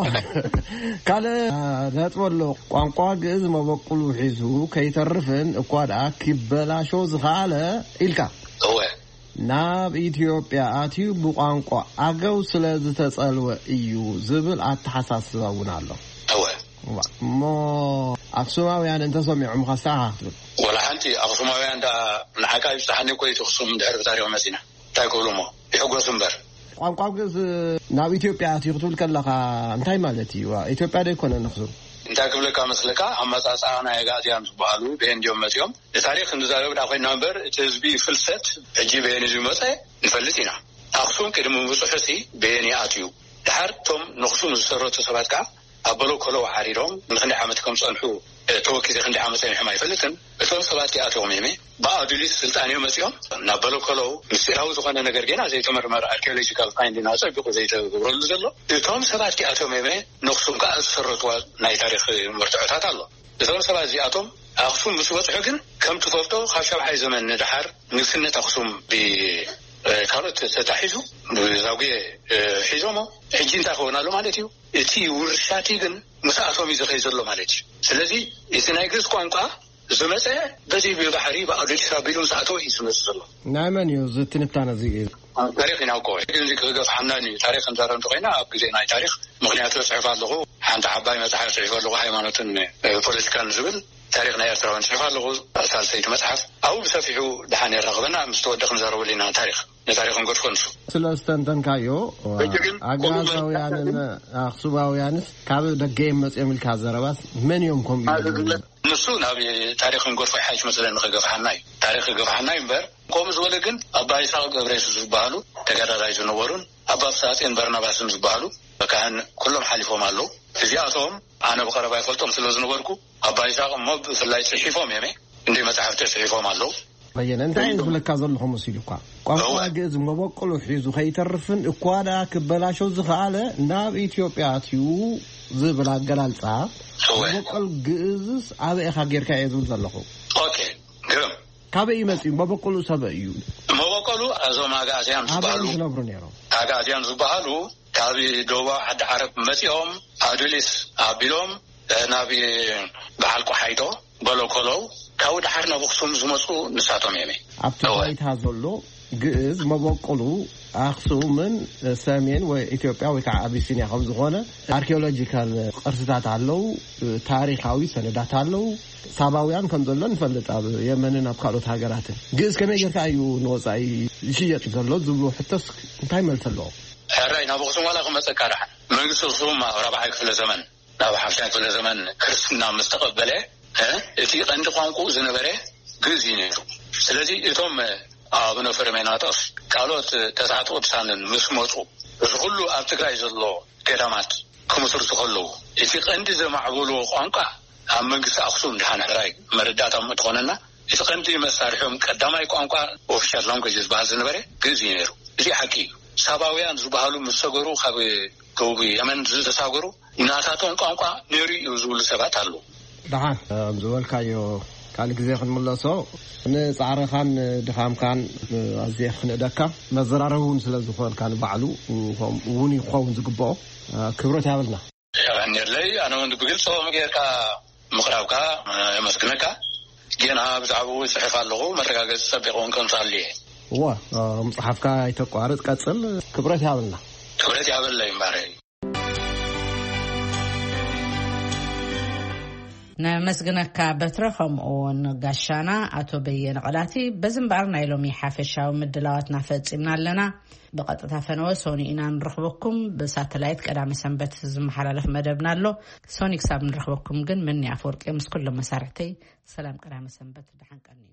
ካልእ ነጥቢ ኣሎ። ቋንቋ ግእዝ መበቁሉ ሒዙ ከይተርፍን እኳ ደኣ ኪበላሾ ዝኸኣለ ኢልካ። እወ። ናብ ኢትዮጵያ ኣትዩ ብቋንቋ ኣገው ስለ ዝተጸልወ እዩ ዝብል ኣተሓሳስባ እውን ኣሎ። እወ። እሞ ኣክሱማውያን እንተሰሚዖምኻ እንታይ ኢኻ ክትብል? ወላ ሓንቲ። ኣኽሱማውያን ደኣ ንዓካ ይብጽሓኒ እኮ እዩ፣ እቲ ኣኽሱም እንድሕር ብታሪኽ መጺና እንታይ ክብሉ እሞ ይሕጎሱ እምበር። ቋንቋ ግእዝ ናብ ኢትዮጵያ ኣትዩ ክትብል ከለኻ እንታይ ማለት እዩ? ኢትዮጵያ ዶ ኣይኮነን ኣኽሱም? እንታይ ክብለካ መስለካ፣ ኣመጻጽኣ ናይ ኣጋእዝያን ዝበሃሉ ብሄን ድዮም መጺኦም? ንታሪኽ ንዛረብ ደኣ ኮይና እምበር፣ እቲ ህዝቢ ፍልሰት ሕጂ ብሄን እዩ ዝመጸ ንፈልጥ ኢና። ኣኽሱም ቅድሚ ምብጽሑሲ ብሄን እዩ ኣትዩ። ደሓር እቶም ነኽሱም ዝሰረቱ ሰባት ከኣ ኣብ በለኮሎ ወሓሪዶም ንክንደይ ዓመት ከም ዝጸንሑ፣ እ፣ ተወኪዘ ክንደይ ዓመት ጸኒሖም ኣይፈልጥን። እቶም ሰባት ይኣትዎም እየ። ብኣዱሊስ ስልጣን እዮም መጺኦም ናብ በለኮሎ። ምስጢራዊ ዝኾነ ነገር ገና ዘይተመርመረ፣ ኣርኪኦሎጂካል ፋይንዲንግ ኣጸቢቑ ዘይተገብረሉ ዘሎ። እቶም ሰባት ይኣትዎም እየ። ነኽሱም ከኣ ዝሰረትዋ ናይ ታሪኽ መርትዖታት ኣሎ። እቶም ሰባት እዚኣቶም ኣኽሱም ምስ በጽሑ ግን፣ ከም ትፈልጦ፣ ካብ ሻብዓይ ዘመን ንደሓር ንግስነት ኣኽሱም ብ-፣ እ፣ ካልኦት ተታሒዙ ብዛጉየ፣ እ፣ ሒዞሞ። ሕጂ እንታይ ክኸውን ኣሎ ማለት እዩ? እቲ ውርሻቲ ግን ምስኣቶም እዩ ዝኸይ ዘሎ ማለት እዩ። ስለዚ እቲ ናይ ግእዝ ቋንቋ ዝመፀ በዚ ብባሕሪ ብኣዶሊስ ኣቢሉ ምስኣተው እዩ ዝመፅእ ዘሎ። ናይ መን እዩ እዚ ትንታነ እዚ? ታሪኽ ኢና እኮ። ግን እዚ ክገፍሓና እዩ። ታሪኽ ክንዛረብ እንተኮይና ኣብ ግዜ ናይ ታሪኽ፣ ምክንያቱ ጽሕፍ ኣለኹ፣ ሓንቲ ዓባይ መጽሓፍ ጽሒፈ ኣለኹ፣ ሃይማኖትን፣ እ፣ ፖለቲካን ዝብል ታሪኽ ናይ ኤርትራውያን ጽሕፍ ኣለኹ፣ ሳልሰይቲ መጽሓፍ ኣብኡ ብሰፊሑ ድሓን የራኽበና፣ ምስ ተወደ ክንዛረበሉ ኢና ታሪኽ። ንታሪኽ ንገድፎ ንሱ። ስለ ዝተንተንካዮ፣ ሕጂ ግን ኣግኣዛውያንን ኣኽሱማውያንስ ካብ ደገ እዮም መጽኦም ኢልካ ዘረባስ መን እዮም ከምኡ ኢሉ? ንሱ ናብ ታሪኽ ንገድፎ ይሓይሽ መስለኒ፣ ክገፍሓና እዩ። ታሪኽ ክገፍሓና እዩ እምበር፣ ከምኡ ዝበለ ግን ኣባ ይስሐቅ ገብረየሱስ ዝበሃሉ ተጋዳላይ ዝነበሩን ኣባ ፍስሃጽዮን በርናባስን ዝበሃሉ ካህን ኩሎም ሓሊፎም ኣለዉ። እዚኣቶም ኣነ ብቐረባ ይፈልጦም ስለ ዝነበርኩ፣ ኣባ ይስሐቅ እሞ ብፍላይ ጽሒፎም እዮም፣ እንደ መጻሕፍቲ ጽሒፎም ኣለዉ። በየነ፣ እንታይ እየ ዝብለካ ዘለኹ መሲሉኳ? ቋንቋ እወ። ግእዝ መበቆሉ ሒዙ ከይተርፍን እኳ ደኣ ክበላሾ ዝኸኣለ ናብ ኢትዮጵያ ኣትዩ ዝብል ኣገላልጻ፣ እወ። መበቆል ግእዝስ ኣበይ ኢኻ ጌርካ እየ ዝብል ዘለኹ? ኦኬ፣ ግርም። ካበይ እዩ መጺኡ? መበቆሉ ሰበ እዩ? መበቆሉ እዞም ኣጋእዝያን ዝበሃሉ፣ ኣበይ ዝነብሩ ነይሮም? ኣጋእዝያን ዝበሃሉ ካብ ደቡብ ዓዲ ዓረብ መጺኦም ኣዱሊስ ኣቢሎም፣ እ፣ ናብ በዓል ቆሓይቶ በለኮሎው፣ ካብኡ ደሓር ናብ ኣኽሱም ዝመጹ ንሳቶም እዮም። ኣብቲ እወ። ባይታ ዘሎ ግእዝ መበቆሉ ኣኽሱምን ሰሜን ወይ ኢትዮጵያ ወይ ከዓ ኣቢሲንያ ከም ዝኾነ ኣርኪኦሎጂካል ቅርስታት ኣለዉ፣ ታሪኻዊ ሰነዳት ኣለዉ። ሳባውያን ከም ዘሎ ንፈልጥ፣ ኣብ የመንን ኣብ ካልኦት ሃገራትን። ግእዝ ከመይ ጌርካ እዩ ንወጻኢ ዝሽየጥ ዘሎ ዝብሉ ሕቶስ እንታይ መልሲ ኣለዎ? ሕራይ ናብ ኣኽሱም ዋላ ክመጸካ ደሓን መንግስቲ ኣኽሱም ኣብ ራብዓይ ክፍለ ዘመን፣ ናብ ሓምሻይ ክፍለ ዘመን ክርስትና ምስ ተቐበለ፣ እ፣ እቲ ቀንዲ ቋንቋኡ ዝነበረ ግእዝ እዩ ነይሩ። ስለዚ እቶም ኣቡነ ፍሬሜናጦስ ካልኦት ተስዓቱ ቅዱሳንን ምስ መጹ፣ እዚ ኩሉ ኣብ ትግራይ ዘሎ ገዳማት ክምስርቱ ከለዉ፣ እቲ ቀንዲ ዘማዕበልዎ ቋንቋ ኣብ መንግስቲ ኣኽሱም ድሓን ሕራይ መረዳእታ እሞ እንተኾነና፣ እቲ ቀንዲ መሳርሒኦም ቀዳማይ ቋንቋ ኦፊሻል ላንጉጅ ዝበሃል ዝነበረ ግእዝ እዩ ነይሩ። እዚ ሓቂ እዩ። ሳባውያን ዝበሃሉ ምስ ሰገሩ ካብ ደቡብ የመን ዝተሳገሩ ናታቶም ቋንቋ ነይሩ እዩ ዝብሉ ሰባት ኣለዉ። ደሓን፣ ከም ዝበልካዮ ካልእ ግዜ ክንምለሶ፣ ንጻዕርኻን ድኻምካን ኣዝየ ክንእደካ፣ መዘራረቢ እውን ስለ ዝኾንካ ንባዕሉ፣ ከምኡ እውን ክኸውን ዝግብኦ፣ ክብረት ያብልና። የቐንየለይ። ኣነ እውን ብግልፂ ከምኡ ጌርካ ምቕራብካ የመስግነካ። ጌና ብዛዕባኡ ይፅሕፍ ኣለኹ፣ መረጋገፂ ፀቢቕ እውን ከምፅኣሉ እየ። እወ፣ ምፅሓፍካ ኣይተቋርፅ፣ ቀፅል። ክብረት ያብልና። ክብረት ያበለይ እምባረይ። ነመስግነካ በትረ፣ ከምኡ እውን ጋሻና ኣቶ በየነ ቀላቲ። በዚ እምበኣር ናይ ሎሚ ሓፈሻዊ ምድላዋትና ፈጺምና ኣለና። ብቐጥታ ፈነወ ሶኒ ኢና ንረኽበኩም። ብሳተላይት ቀዳመ ሰንበት ዝመሓላለፍ መደብና ኣሎ። ሶኒ፣ ክሳብ ንረኽበኩም ግን፣ ምኒ ኣፈወርቂ ምስ ኩሎም መሳርሕተይ ሰላም ቀዳመ ሰንበት፣ ደሓን ቀንዩ።